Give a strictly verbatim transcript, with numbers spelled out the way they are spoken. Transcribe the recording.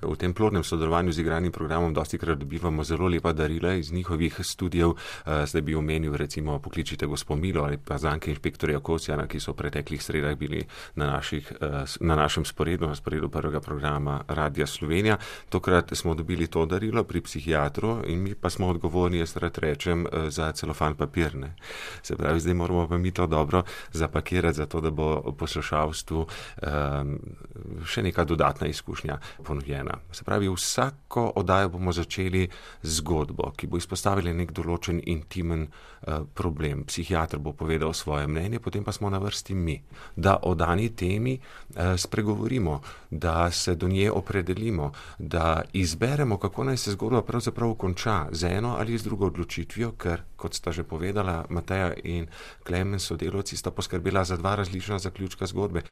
V tem plodnem sodelovanju z igranim programom dostikrat dobivamo zelo lepa darila iz njihovih studijev. Zdaj bi omenil recimo Pokličite gospo Milo ali pa zanke inšpektorja Kosjana, ki so v preteklih sredah bili na, naših, na našem sporedu, na sporedu prvega programa Radia Slovenija. Tokrat smo dobili to darilo pri psihiatru in mi pa smo odgovorni, jaz rad rečem, za celofan papir. Ne. Se pravi, zdaj moramo pa mi to dobro zapakirati, zato da bo poslušalstvu um, še neka dodatna izkušnja ponujena. Se pravi, vsako oddajo bomo začeli z zgodbo, ki bo izpostavila nek določen intimen uh, problem. Psihiater bo povedal svoje mnenje, potem pa smo na vrsti mi, da o dani temi uh, spregovorimo, da se do nje opredelimo, da izberemo, kako naj se zgodba pravzaprav konča, z eno ali z drugo odločitvijo, ker, kot sta že povedala, Mateja in Klemen sodelavci sta poskrbela za dva različna zaključka zgodbe.